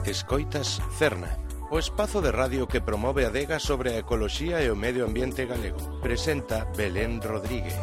Escoitas Cerna, o espazo de radio que promove a adega sobre a ecoloxía e o medio ambiente galego. Presenta Belén Rodríguez.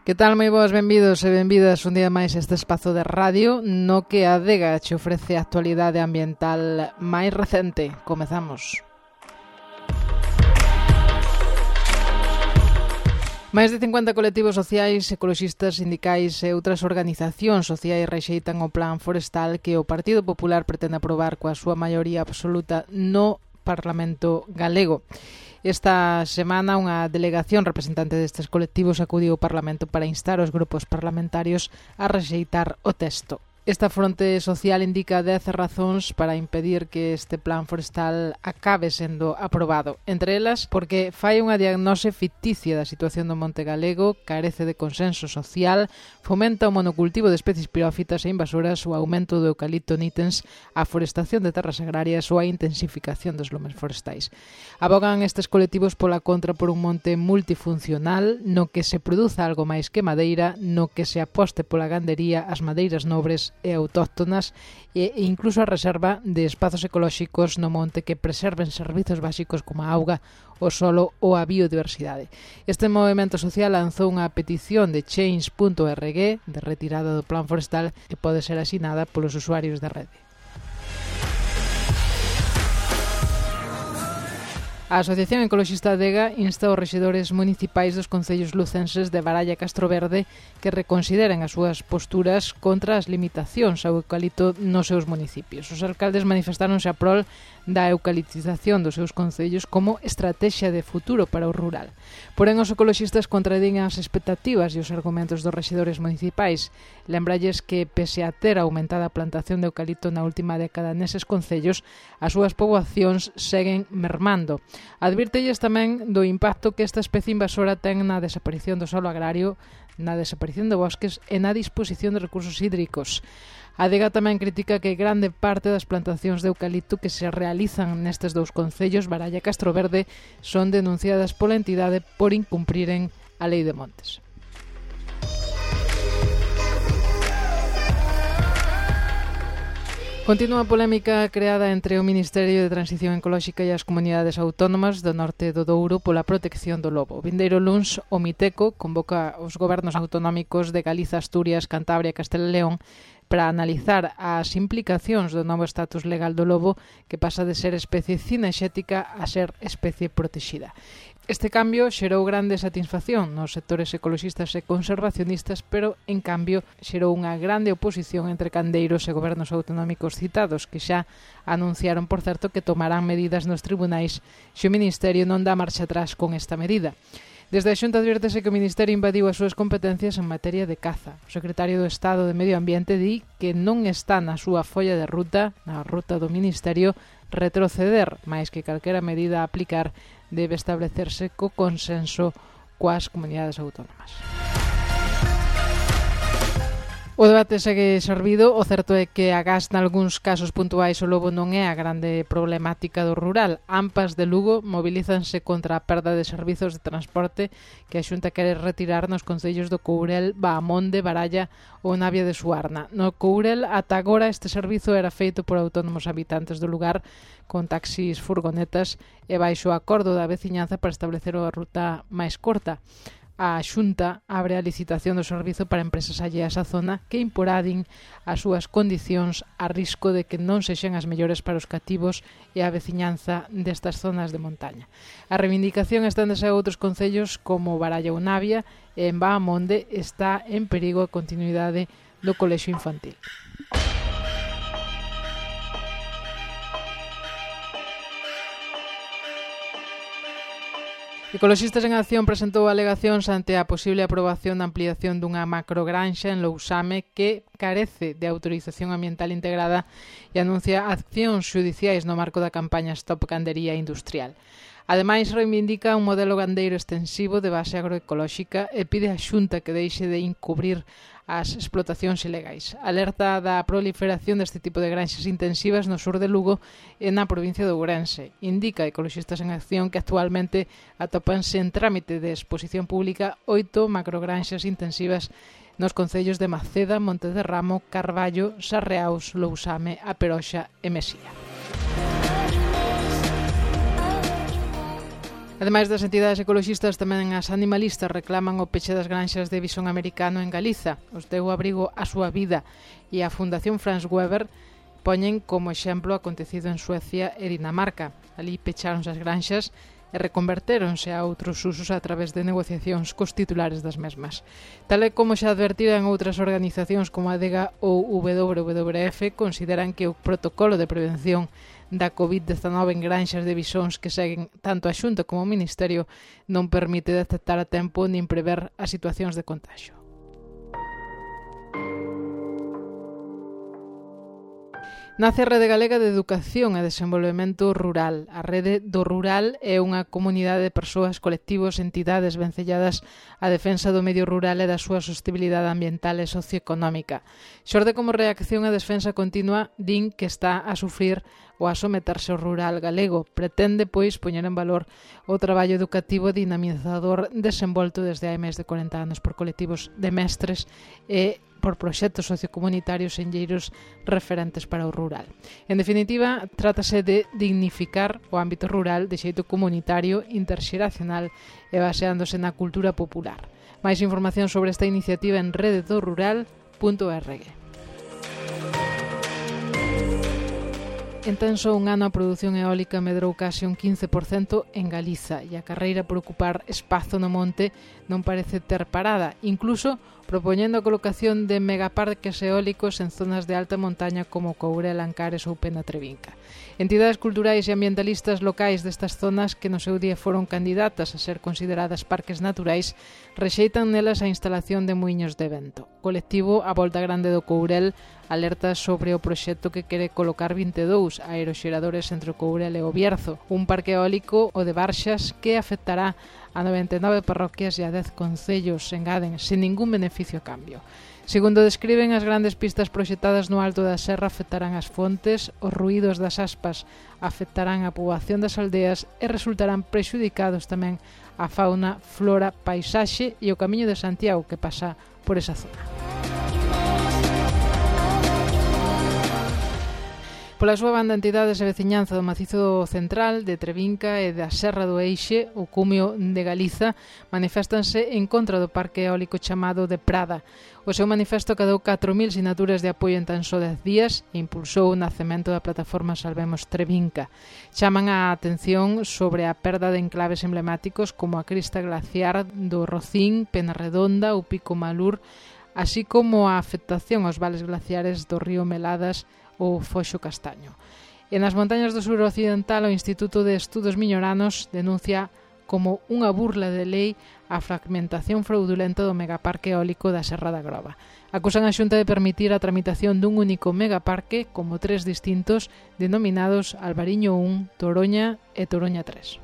Que tal, moi boas, benvidos e benvidas un día máis a este espazo de radio no que a adega che ofrece a actualidade ambiental máis recente. Comezamos. Máis de 50 colectivos sociais, ecoloxistas, sindicais e outras organizacións sociais rexeitan o plan forestal que o Partido Popular pretende aprobar coa súa maioría absoluta no Parlamento galego. Esta semana unha delegación representante destes colectivos acudiu ao Parlamento para instar os grupos parlamentarios a rexeitar o texto. Esta fronte social indica 10 razóns para impedir que este plan forestal acabe sendo aprobado. Entre elas, porque fai unha diagnose ficticia da situación do monte galego, carece de consenso social, fomenta o monocultivo de especies pirófitas e invasoras, o aumento do eucalipto nitens, a forestación de terras agrarias ou a intensificación dos lumes forestais. Abogan estes colectivos pola contra por un monte multifuncional no que se produza algo máis que madeira, no que se aposte pola gandería, as madeiras nobres e autóctonas e incluso a reserva de espazos ecolóxicos no monte que preserven servizos básicos como a auga, o solo ou a biodiversidade. Este movimento social lanzou unha petición de change.org de retirada do plan forestal que pode ser asinada polos usuarios da rede. A Asociación Ecoloxista Adega insta aos rexedores municipais dos concellos lucenses de Baralla e Castroverde que reconsideren as súas posturas contra as limitacións ao eucalipto nos seus municipios. Os alcaldes manifestáronse a prol da eucaliptización dos seus concellos como estrategia de futuro para o rural. Porén, os ecoloxistas contradín as expectativas e os argumentos dos rexedores municipais. Lembralles que, pese a ter aumentada a plantación de eucalipto na última década neses concellos, as súas poboacións seguen mermando. Advírtelles tamén do impacto que esta especie invasora ten na desaparición do solo agrario, na desaparición de bosques e na disposición de recursos hídricos. A adega tamén critica que grande parte das plantacións de eucalipto que se realizan nestes dous concellos, Baralla e Castroverde, son denunciadas pola entidade por incumpriren a Lei de Montes. Continúa a polémica creada entre o Ministerio de Transición Ecolóxica e as comunidades autónomas do norte do Douro pola protección do lobo. Vindeiro luns, o Miteco convoca os gobernos autonómicos de Galiza, Asturias, Cantabria e Castela e León para analizar as implicacións do novo estatus legal do lobo que pasa de ser especie cinexética a ser especie protexida. Este cambio xerou grande satisfacción nos sectores ecoloxistas e conservacionistas, pero, en cambio, xerou unha grande oposición entre candeiros e gobernos autonómicos citados, que xa anunciaron, por certo, que tomarán medidas nos tribunais se o Ministerio non dá marcha atrás con esta medida. Desde a Xunta advírtese que o Ministerio invadiu as súas competencias en materia de caza. O secretario do Estado de Medio Ambiente di que non está na súa folla de ruta, na ruta do Ministerio, retroceder, máis que calquera medida a aplicar debe establecerse co consenso coas comunidades autónomas. O debate segue servido. O certo é que agás nalgúns casos puntuais o lobo non é a grande problemática do rural. AMPAs de Lugo mobilízanse contra a perda de servizos de transporte que a Xunta quere retirar nos concellos do Courel, Baamonde, Baralla ou Navia de Suarna. No Courel, ata agora, este servizo era feito por autónomos habitantes do lugar con taxis, furgonetas e baixo o acordo da veciñanza para establecer a ruta máis corta. A Xunta abre a licitación do servizo para empresas alleas á zona que imporadin as súas condicións a risco de que non sexan as mellores para os cativos e a veciñanza destas zonas de montaña. A reivindicación esténdese a outros concellos como Baralla ou Navia e en Baamonde está en perigo a continuidade do colexio infantil. Ecoloxistas en Acción presentou alegacións ante a posible aprobación da ampliación dunha macrogranxa en Lousame que carece de autorización ambiental integrada e anuncia accións xudiciais no marco da campaña Stop Gandería Industrial. Ademais, reivindica un modelo gandeiro extensivo de base agroecolóxica e pide á Xunta que deixe de encubrir as explotacións ilegais. Alerta da proliferación deste tipo de granxas intensivas no sur de Lugo e na provincia de Ourense. Indica Ecoloxistas en Acción que actualmente atópanse en trámite de exposición pública 8 macrogranxas intensivas nos concellos de Maceda, Monte de Ramo, Carballo, Sarreaus, Lousame, A Peroxa e Mesía. Ademais das entidades ecoloxistas, tamén as animalistas reclaman o peche das granxas de visón americano en Galiza. Os deu abrigo a súa vida e a Fundación Franz Weber poñen como exemplo acontecido en Suecia e Dinamarca. Ali pecháronse as granxas e reconvertéronse a outros usos a través de negociacións cos titulares das mesmas. Tal e como xa advertiran outras organizacións como a ADEGA ou WWF, consideran que o protocolo de prevención da COVID-19 en granxas de visóns que seguen tanto a Xunta como o Ministerio non permite detectar a tempo nin prever as situacións de contagio. Nace a Rede Galega de Educación e Desenvolvemento Rural. A Rede do Rural é unha comunidade de persoas, colectivos, entidades vencelladas á defensa do medio rural e da súa sostenibilidade ambiental e socioeconómica. Xorde como reacción á defensa continua, din que está a sufrir ou a someterse ao rural galego. Pretende, pois, poñer en valor o traballo educativo dinamizador desenvolto desde hai máis de 40 anos por colectivos de mestres e por proxectos sociocomunitarios enlleiros referentes para o rural. En definitiva, trátase de dignificar o ámbito rural de xeito comunitario, interxeracional e baseándose na cultura popular. Máis información sobre esta iniciativa en rededorural.org. En tan só un ano a produción eólica medrou case un 15% en Galiza e a carreira por ocupar espazo no monte non parece ter parada, incluso propoñendo a colocación de megaparques eólicos en zonas de alta montaña como Courel, Ancares ou Penatrevinca. Entidades culturais e ambientalistas locais destas zonas que no seu día foron candidatas a ser consideradas parques naturais rexeitan nelas a instalación de muiños de vento. O colectivo A Volta Grande do Courel alerta sobre o proxecto que quere colocar 22 aeroxeradores entre o Courel e o Bierzo, un parque eólico, o de Barxas, que afectará a 99 parroquias e a 10 concellos, engaden, sen ningún beneficio a cambio. Segundo describen, as grandes pistas proxectadas no alto da serra afectarán as fontes, os ruídos das aspas afectarán a poboación das aldeas e resultarán prexudicados tamén a fauna, flora, paisaxe e o Camiño de Santiago que pasa por esa zona. Pola súa banda, entidades e veciñanza do Macizo Central, de Trevinca e da Serra do Eixe, o cumio de Galiza, maniféstanse en contra do parque eólico chamado de Prada. O seu manifesto cadou 4.000 sinaturas de apoio en tan só 10 días e impulsou o nacemento da plataforma Salvemos Trevinca. Chaman a atención sobre a perda de enclaves emblemáticos como a crista glaciar do Rocín, Penarredonda ou Pico Malur, así como a afectación aos vales glaciares do río Meladas ou Foxo Castaño. E nas montañas do sur occidental, o Instituto de Estudos Miñoranos denuncia como unha burla de lei a fragmentación fraudulenta do megaparque eólico da Serra da Groba. Acusan a Xunta de permitir a tramitación dun único megaparque como 3 distintos denominados Albariño 1, Toroña e Toroña 3.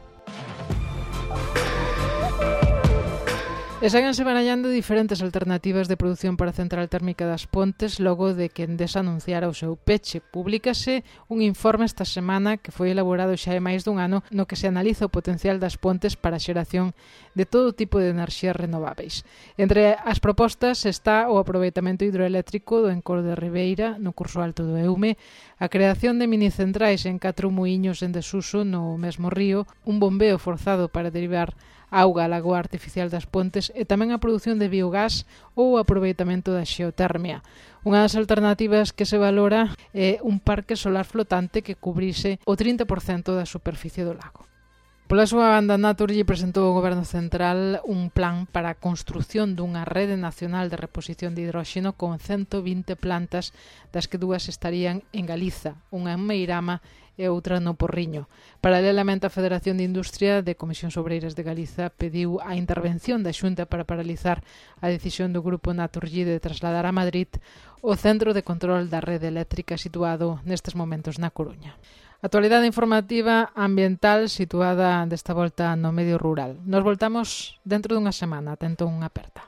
E séganse barallando diferentes alternativas de produción para a central térmica das Pontes logo de que Endesa anunciara o seu peche. Publícase un informe esta semana que foi elaborado xa hai máis dun ano no que se analiza o potencial das Pontes para a xeración de todo tipo de enerxías renováveis. Entre as propostas está o aproveitamento hidroeléctrico do Encor de Ribeira no curso alto do Eume, a creación de minicentrais en 4 muiños en desuso no mesmo río, un bombeo forzado para derivar auga á lagoa artificial das Pontes e tamén a produción de biogás ou o aproveitamento da xeotermia. Unha das alternativas que se valora é un parque solar flotante que cubrise o 30% da superficie do lago. Pola súa banda, Naturgy presentou ao Goberno Central un plan para a construción dunha rede nacional de reposición de hidróxeno con 120 plantas, das que 2 estarían en Galiza, unha en Meirama e outra no Porriño. Paralelamente, a Federación de Industria de Comisións Obreiras de Galiza pediu a intervención da Xunta para paralizar a decisión do Grupo Naturgy de trasladar a Madrid o centro de control da rede eléctrica situado nestes momentos na Coruña. Actualidade informativa ambiental situada desta volta no medio rural. Nos voltamos dentro dunha semana. Atento unha aperta.